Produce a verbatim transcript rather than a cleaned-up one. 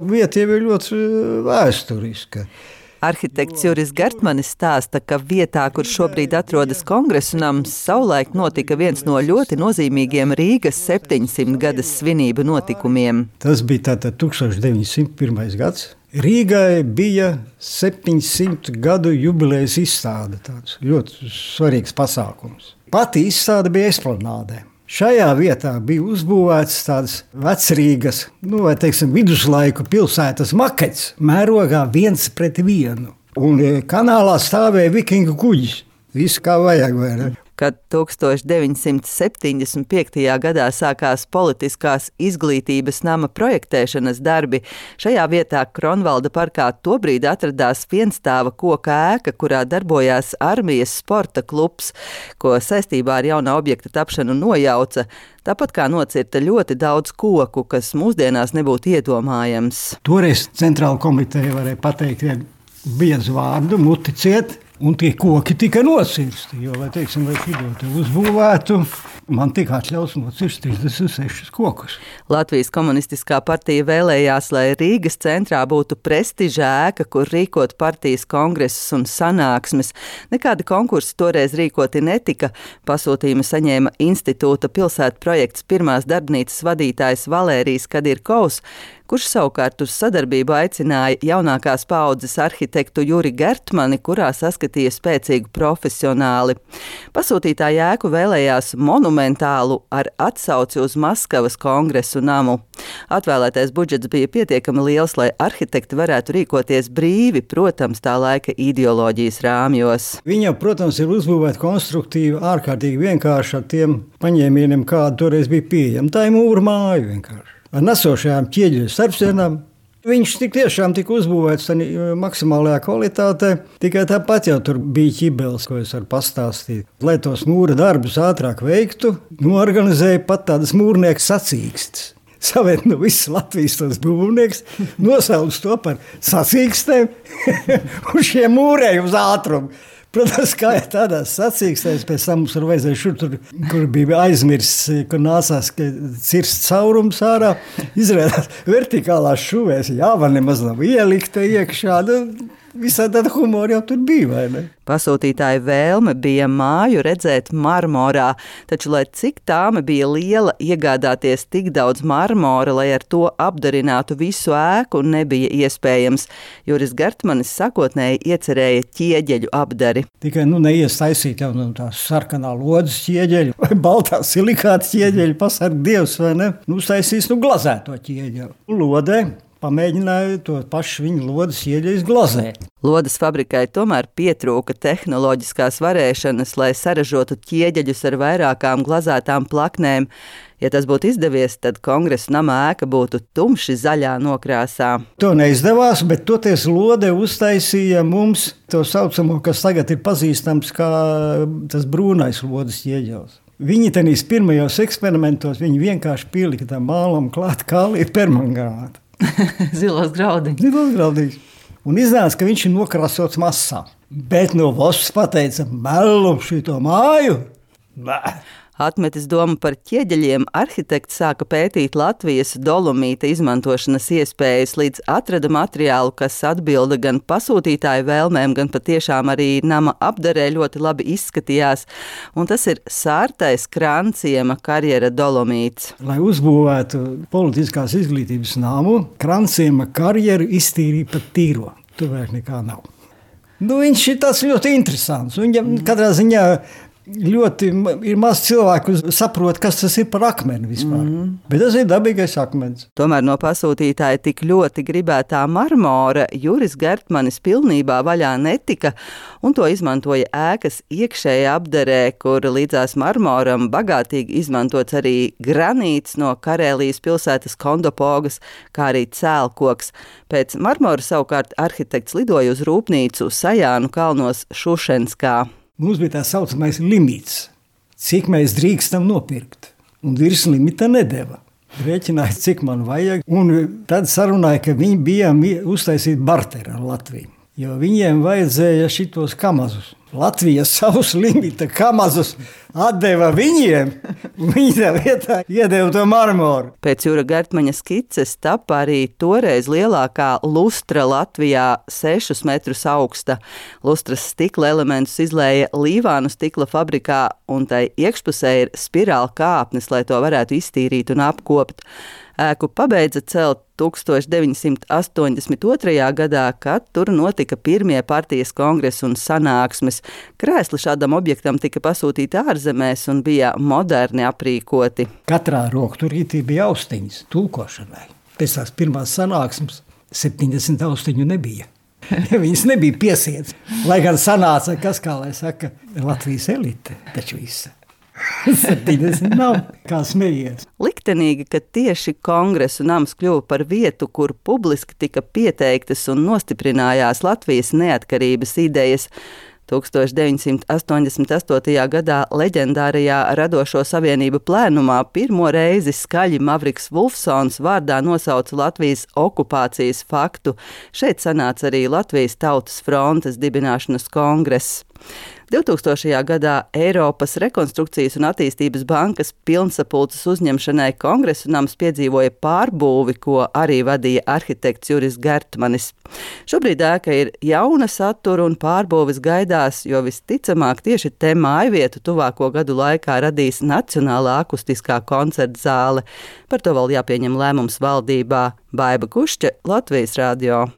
Vieta jau ir ļoti vēsturiska. Arhitekts Juris Gertmanis stāsta, ka vietā, kur šobrīd atrodas Kongresu nams, savulaik notika viens no ļoti nozīmīgiem Rīgas septiņsimtgades svinību notikumiem. Tas bija tātad tūkstoš deviņsimt pirmais gads. Rīgai bija septiņsimt gadu jubilejas izstāde, tāds ļoti svarīgs pasākums. Pati izstāde bija Esplanādē. Šajā vietā bija uzbūvēts tāds vecrīgas, nu, vai teiksim, viduslaiku pilsētas makets, mērogā viens pret vienu. Un kanālā stāvēja vikingu kuģis. Viss kā vajag, vai ne? Kad tūkstoš deviņsimt septiņdesmit piektajā gadā sākās politiskās izglītības nama projektēšanas darbi, šajā vietā Kronvalda parkā tobrīd atradās vienstāva koka ēka, kurā darbojās armijas sporta klubs, ko saistībā ar jaunā objekta tapšanu nojauca, tāpat kā nocirta ļoti daudz koku, kas mūsdienās nebūtu iedomājams. Toreiz centrāla komiteja varēja pateikt vienu biezu vārdu, muti ciet, un tie koki tika nocirsti, jo, lai teiksim, lai šito te uzbūvētu, man tika atļauts nocirst trīsdesmit sešus kokus. Latvijas komunistiskā partija vēlējās, lai Rīgas centrā būtu prestiža ēka, kur rīkot partijas kongresus un sanāksmes. Nekādi konkursi toreiz rīkoti netika. Pasūtījumu saņēma institūta pilsētu projekts pirmās darbnīcas vadītājs Valērijs Kadirkovs, kurš savukārt uz sadarbību aicināja jaunākās paaudzes arhitektu Juri Gertmani, kurā saskatīja spēcīgu profesionāli. Pasūtītā ēku vēlējās monumentālu ar atsauci uz Maskavas kongresu namu. Atvēlētais budžets bija pietiekami liels, lai arhitekti varētu rīkoties brīvi, protams, tā laika ideoloģijas rāmjos. Viņa, protams, ir uzbūvēta konstruktīvi, ārkārtīgi vienkārši ar tiem paņēmieniem, kāda toreiz bija pieejama. Tā ir mūra māja vienkārši. Ar nesošajām ķieģeļu starpsienām. Viņš tik tiešām tika uzbūvēts maksimālajā kvalitātē, tikai tāpat jau tur bija ķibeles, ko es varu pastāstīt. Lai tos mūra darbus ātrāk veiktu, norganizēja pat tādas mūrnieku sacīkstes. Savēt no visas Latvijas tos būvnieks, nosauc to par sacīkstēm un šie mūrēja uz ātrumu. Protams, kā ja tādās sacīkstēs, pēc tam mums var vajadzēja šur, tur, kur bija aizmirsts, kur nācās cirst caurums ārā, izrādās vertikālās šuvēs, jāva nemaz nav ielikta iekšā, nu, visā tāda humora jau tur bija, vai ne? Pasūtītāja vēlme bija māju redzēt marmorā, taču, lai cik tāme bija liela, iegādāties tik daudz marmora, lai ar to apdarinātu visu ēku, nebija iespējams. Juris Gertmanis sakotnēji iecerēja ķieģeļu apdari. Tikai nu neiestaisīt jau no tā sarkanā lodas ķieģeļu vai baltā silikāta ķieģeļu, pasarg Dievs, vai ne? Nu, uztaisīs, nu, glazēto ķieģeļu. Lodē pamēģināja to pašu viņa lodas ieģeļus glazēt. Lodas fabrikai tomēr pietrūka tehnoloģiskās varēšanas, lai saražotu ķieģeļus ar vairākām glazētām plaknēm. Ja tas būtu izdevies, tad kongresa nama ēka būtu tumši zaļā nokrāsā. To neizdevās, bet toties Lode uztaisīja mums to saucamo, kas tagad ir pazīstams kā tas brūnais lodas ieģeļs. Viņi tenīs pirmajos eksperimentos, viņi vienkārši pielika tam mālam klāt kāli permangātu. Zilos graudiņus. Zilos graudiņus. Un iznāca, ka viņš ir nokrāsots masā. Bet no valsts pateica, melu šito māju. Bā. Atmetis domu par ķieģeļiem, arhitekts sāka pētīt Latvijas dolomīta izmantošanas iespējas, līdz atrada materiālu, kas atbilda gan pasūtītāju vēlmēm, gan patiešām arī nama apdarē ļoti labi izskatījās. Un tas ir sārtais Kranciema karjera dolomīts. Lai uzbūvētu politiskās izglītības namu, Kranciema karjeru iztīrīja pat tīro. Tur vairs nekā nav. Nu, viņš ir tāds ļoti interesants. Viņam katrā ziņā ļoti ir maz cilvēku saprot, kas tas ir par akmeni vispār. Mm. Bet tas ir dabīgais akmens. Tomēr no pasūtītāja tik ļoti gribētā marmora Juris Gertmanis pilnībā vaļā netika, un to izmantoja ēkas iekšējā apdarē, kur līdzās marmoram bagātīgi izmantots arī granīts no Karēlijas pilsētas Kondopogas, kā arī cēlkoks. Pēc marmora savukārt arhitekts lidoja uz rūpnīcu Sajānu kalnos Šušenskā. Mums bija tā saucamais limits, cik mēs drīkstam nopirkt, un virs limita nedeva. Rēķināja, cik man vajag, un tad sarunāja, ka viņi bija uztaisīt barteru ar Latviju, jo viņiem vajadzēja šitos kamazus. Latvija savus limita kamazus atdeva viņiem, un viņi tā vietā iedeva to marmoru. Pēc Jura Gertmaņa skices tapa arī toreiz lielākā lustra Latvijā sešus metrus augsta. Lustras stikla elementus izlēja Līvānu stikla fabrikā, un tai iekšpusē ir spirāla kāpnes, lai to varētu iztīrīt un apkopt. Ēku pabeidza celt tūkstoš deviņsimt astoņdesmit otrajā gadā, kad tur notika pirmie partijas kongresi un sanāksmes. Krēsli šādam objektam tika pasūtīti ārzemēs un bija moderni aprīkoti. Katrā rokturītī bija austiņas tulkošanai. Pēc tās pirmās sanāksmes septiņdesmit austiņu nebija. Viņas nebija piesiets. Lai gan sanāca, kas, kā lai saka, Latvijas elite, taču visa. septiņdesmit nav, kā smējies. Liktenīgi, ka tieši Kongresu nams kļuva par vietu, kur publiski tika pieteiktas un nostiprinājās Latvijas neatkarības idejas. tūkstoš deviņsimt astoņdesmit astotajā gadā leģendārajā Radošo savienību plēnumā pirmo reizi skaļi Mavriks Vulfsons vārdā nosauca Latvijas okupācijas faktu. Šeit sanāca arī Latvijas Tautas frontes dibināšanas kongress. divtūkstošajā gadā Eiropas rekonstrukcijas un attīstības bankas pilnsapulces uzņemšanai Kongresu nams piedzīvoja pārbūvi, ko arī vadīja arhitekts Juris Gertmanis. Šobrīd ēka ir jauna satura un pārbūves gaidās, jo visticamāk tieši te mājvietu tuvāko gadu laikā radīs Nacionālā akustiskā koncerta zāle. Par to vēl jāpieņem lēmums valdībā. Baiba Kušķe, Latvijas radio.